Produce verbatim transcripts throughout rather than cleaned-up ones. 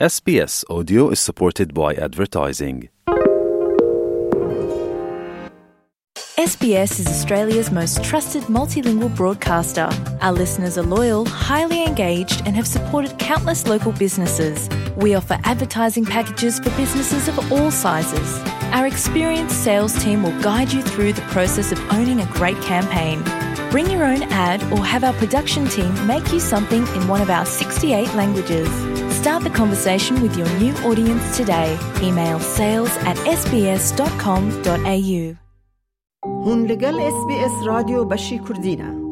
S B S Audio is supported by advertising. S B S is Australia's most trusted multilingual broadcaster. Our listeners are loyal, highly engaged, and have supported countless local businesses. We offer advertising packages for businesses of all sizes. Our experienced sales team will guide you through the process of owning a great campaign. Bring your own ad or have our production team make you something in one of our sixty-eight languages. Start the conversation with your new audience today. Email sales at S B S dot com dot A U. Hûn li gel S B S Radyo Beşî Kurdî ne.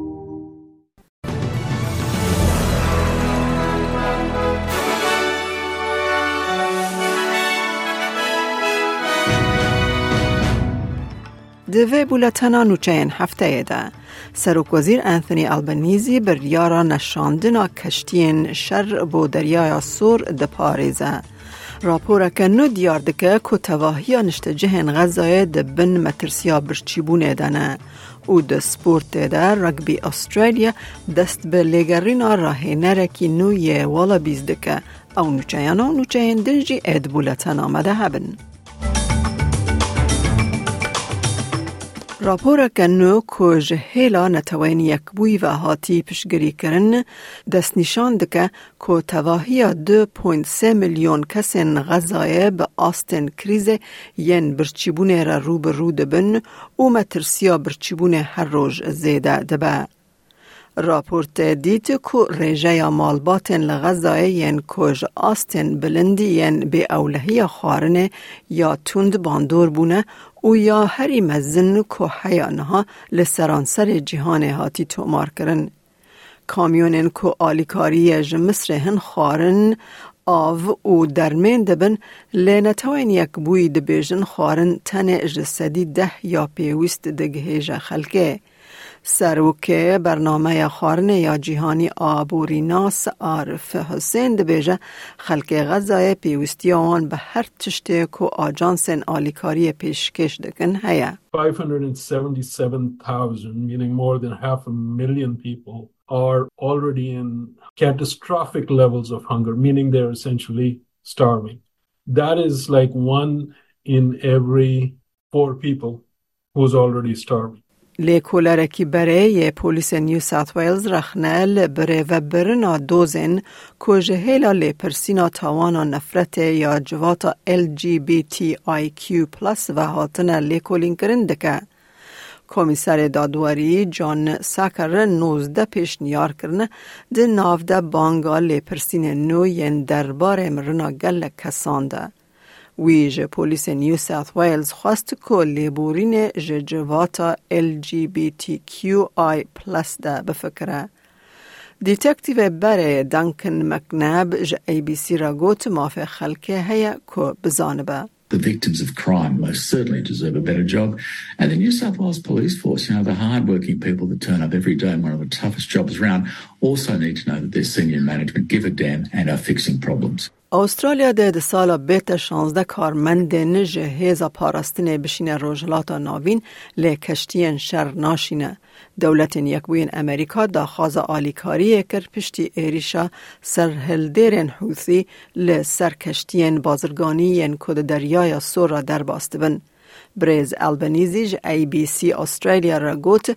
Di vê bûletena nûçeyên hefteyê de, Serokwezîr Anthony Albanese biryara neşandina keştiyên şer bo Deryaya Sor diparêze. Raporeke nû diyar dike ku tevahiya niştecihên Xezayê di bin metirsiya birçîbûnê de ne û di sportê de Rugby Australia dest bi lêgerîna rahênerekî nû yê Wallabies dike. Ew nûçeyana û nûçeyên din jî ê di bûletena me de hebin. Raporeke nû ku ji hêla Neteweyên Yekbûyî ve hatî piştgirîkirin, destnîşan dike ku tevahiya du point sê milyon kesên Xezayê bi astên krîzê yên birçîbûnê re rû bi rû dibin û metirsiya birçîbûnê her roj zêde dibe. Raportê dît ku rêjeya malbatên li Xezayê yên ku ji astên bilind yên bêewlehiya xwarinê ya tund bandor bûne û ya herî mezin ku heya niha li seranserê cîhanê hatî tomarkirin. Kamyonên ku alîkariyê ji Misrê hin xwarin, av û dermên dibin, lê Netewên Yekbûyî dibêjin xwarin tenê ji sedî deh ya pêwîst digihêje xelkê. Serokê Bernameya Xwarinê ya Cîhanî aborînas Arif Husên dibêje, xelkê Xezayê pêwîstiya wan bi her tiştê ku ajansên alîkariyê pêşkêş dikin heye. Five hundred and seventy-seven thousand, meaning more than half a million people, are already in catastrophic levels of hunger, meaning they're essentially starving. That is like one in every four people who's already starving. Lêkolerekî berê yê polîsên New South Wales rexne li birêvebirina dozên ku ji hêla lêpirsîna tawana nefretê ya civata L G B T I Q plus ve hatine lêkolînkirin dike. Komîserê Dadwerî John Sacker nozdeh pêşniyar kirine, di nav de banga lêpirsînên nû yên derbarê mirina gelek kesan de. Wî ji polîsên New South Wales xwest ku lêborînê ji civata L G B T Q I plus de bifikire. Detektîvê berê Duncan McNabb ji A B C re got, mafê xelkê heye ku bizanibe. The victims of crime most certainly deserve a better job. And the New South Wales Police Force, you know, the hard-working people that turn up every day in one of the toughest jobs around, also need to know that their senior management give a damn and are fixing problems. Awustralya dê di sala bête şazdeh karmendên ji hêza parastinê bişîne Rojhilata Navîn, lê keştiyên şer naşîne. Dewletên Yekbûyên Amerîka daxwaza alîkariyê kir piştî êrîşa serhildêrên Hûsî li ser keştiyên bazirganî yên ku di Deryaya Sor re derbas dibin. Birêz Albanese ji A B C Australia re got,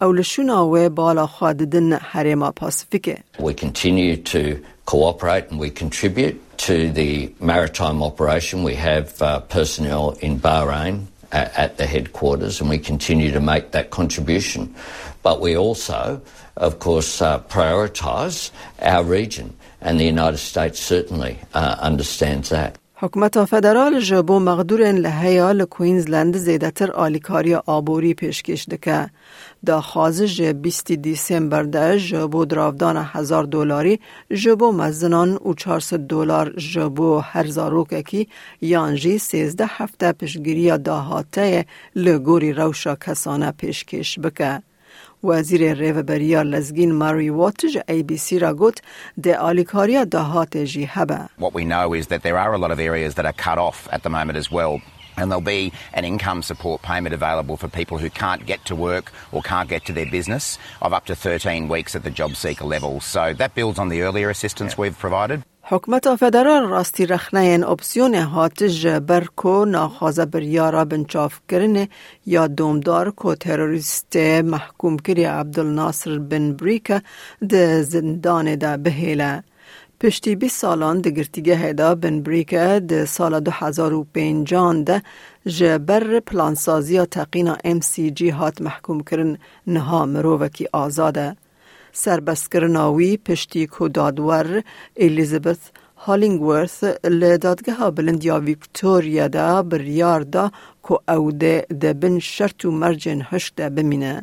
ew li şûna wê bala xwe didin herêma Pasifîkê. We continue to cooperate and we contribute to the maritime operation. We have, uh, personnel in Bahrain a-, at the headquarters, and we continue to make that contribution. But we also, of course, uh, prioritise our region, and the United States certainly, uh, understands that. Hikûmeta federal ji bo mexdûrên li heya li Queensland zêdetir alîkariya aborî pêşkêş dike. Daxwaz ji bîstî Dîsember de ji bo diravdana hezar dolarî ji bo mezinan û çar sed dolar ji bo her zarokekî yan jî sêzdeh hefte piştgiriya dahateyê li gorî rewşa kesane pêşkêş bike. Wezîrê Rêveberiya Lezgîn Murray Watt ji A B C re got, dê alîkariya dahatê jî hebe. What we know is that there are a lot of areas that are cut off at the moment as well. And there'll be an income support payment available for people who can't get to work or can't get to their business of up to thirteen weeks at the job seeker level. So that builds on the earlier assistance we've provided. Hikûmeta federal rastî rexneyên opsiyonê hat ji ber ku naxwaze biryara binçavkirinê ya domdar ku terorîstê mehkûmkirî Abdul Nasir Bin Brîke di zindanê de bihêle. Piştî bîst salan di girtîgehê de, Bin Brîke di sala du hezar û pêncan de ji ber plansaziya teqîna M C G hat mehkûmkirin, niha mirovekî azad e. Serbestkirina wî piştî ku dadwer Elizabeth Hollingworth li Dadgeha Bilind ya Victoria de biryar da ku ew dê di bin şert û mercên hişk de bimîne.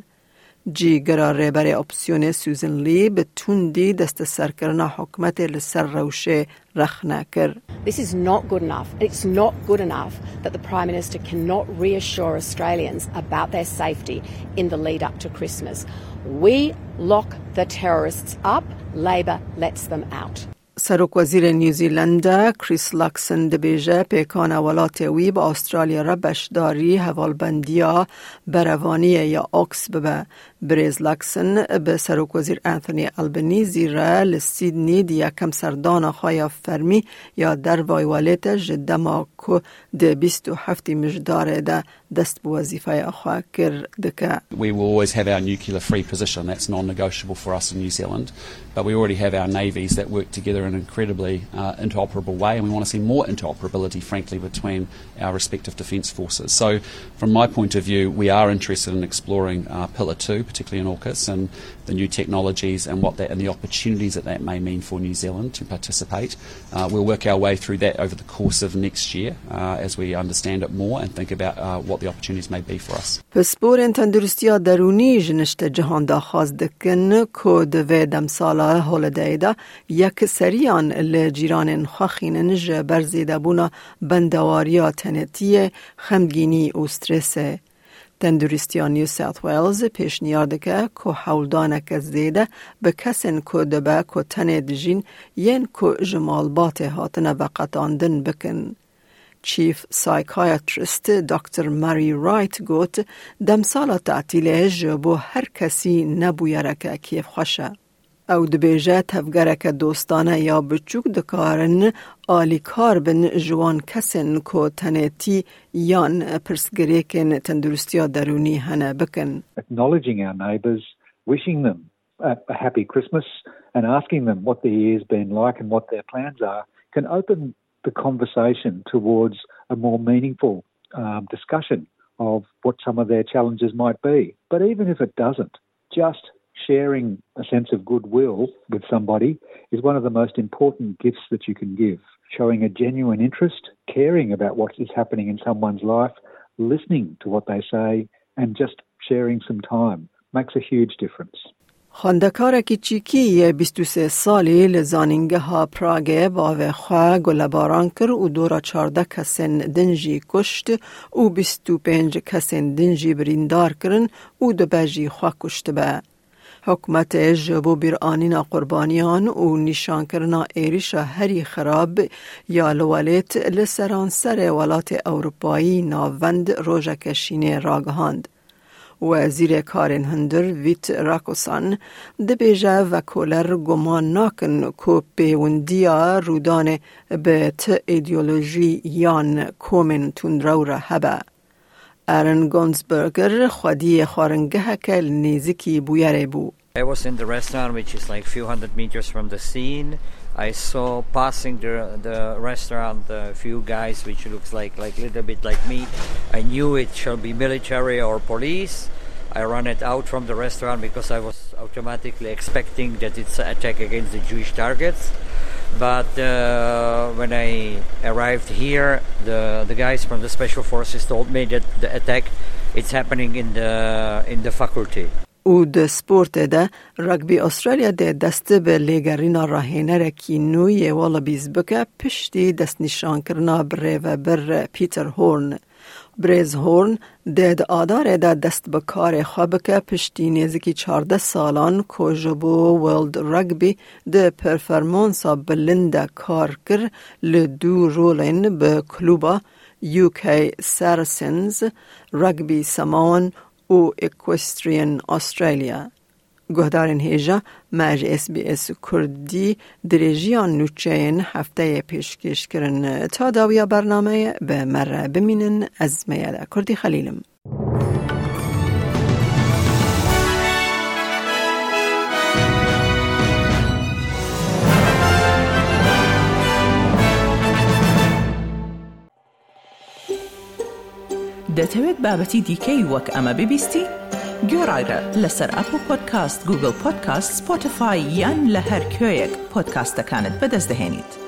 Cîgera rêberê opsiyonê Susan Lee bi tundî desteserkirina hikûmetê li ser rewşê rexne kir. This is not good enough. It's not good enough that the Prime Minister cannot reassure Australians about their safety in the lead up to Christmas. We lock the terrorists up, Labor lets them out. Serokwezîrê New Zealandê Chris Luxon dibêje pêkan e welatê wî bi Australya re beşdarî hevalbendiya berevaniyê ya AUKUS bibe. Birêz Luxon bi Serokwezîr Anthony Albanese re li Sydney di yekem serdana xwe ya fermî ya dervayî welêt de ji dema ku di bîst û heftê Mijdarê de dest bi wezîfeya xwe kir dike. We will always have our nuclear free position. That's non-negotiable for us in New Zealand. But we already have our navies that work together in incredibly uh, interoperable way, and we want to see more interoperability, frankly, between our respective defence forces. So, from my point of view, we are interested in exploring uh, Pillar two, particularly in AUKUS, and the new technologies and what that and the opportunities that that may mean for New Zealand to participate. Uh, we'll work our way through that over the course of next year uh, as we understand it more and think about uh, what the opportunities may be for us. Pisporên tenduristiya derûnî ji niştecihan daxwaz dikin ku di vê demsala holidayê de yekseriyan li cîranên xwe xînin ji ber zêdebûna bendewariya tenêtiyê, xemgînî û stresê. Tenduristiya New South Wales pêşniyar dike ku hewldaneke zêde bi kesên ku dibe ku tenê dijîn yên ku ji malbatê hatine veqetandin bikin. Chief Psychiatrist Doktor Mary Wright got, demsala tatîlê ji bo her kesî ne bûyereke kêfxweş e. Ew dibêje tevgereke dostane ya biçûk dikarin alîkar bin ji wan kesên ku tenêtî yan pirsgirêkên tenduristiya derûnî hene bikin. Acknowledging our neighbours, wishing them a, a happy Christmas and asking them what the year's been like and what their plans are can open the conversation towards a more meaningful um, discussion of what some of their challenges might be. But even if it doesn't, just sharing a sense of goodwill with somebody is one of the most important gifts that you can give. Showing a genuine interest, caring about what is happening in someone's life, listening to what they say, and just sharing some time makes a huge difference. Xwendekarekî çîkî yê bîst û sê salî li Zanîngeha Pragê bavê xwe gulebaran kir û dora çardeh kesên din jî kuşt û bîst û pênc kesên din jî birîndar kirin û dibe jî xwe kuştibe. Hikûmetê ji bo bîranîna qurbaniyan û nîşankirina êrîşa herî xirab ya li welêt li seranserê welatê Ewropayî navend rojeke şînê ragihand. Wezîrê Karên Hundir Vît Rakusan dibêje vekoler guman nakin ku pêwendiya rûdanê bi ti îdeolojî yan komên tundrew re hebe. Aaron Gonsberger xwediyê xwaringeheke li nêzikî bûyerê bû. I was in the restaurant, which is like few hundred meters from the scene. I saw passing the the restaurant a few guys, which looks like like little bit like me. I knew it shall be military or police. I ran it out from the restaurant because I was automatically expecting that it's an attack against the Jewish targets. But uh, when I arrived here, the the guys from the special forces told me that the attack it's happening in the in the faculty. Û di sportê de, Rugby Australia dê dest bi lêgerîna rahênerekî nû yê Wallabies bike piştî destnîşankirina birêvebir Peter Horn. Birêz Horn dê di Adarê de dest bi karê xwe bike piştî nêzikî çardeh salan ku ji bo World Rugby di performansa bilind de kar kir, li du rolên bi kluba U K Saracens, Rugby Samoan û Equestrian Australia. Guhdarên hêja me ji S B S Kurdî dirêjiya nûçeyên hefteyê pêşkêş kirin. Ta dawiya bernameyê bi me re bimînin, ez Meyada Kurdî Xelîl im. دەتەوێت بابەتی دیکەی وەک ئەمە ببیستی؟ گوێڕایرە لەسەر ئەپڵ پۆدکاست، گوگڵ پۆدکاست، سپۆتیفای یان لە هەر کوێیەک پۆدکاستەکانت بەدەست دەهێنیت.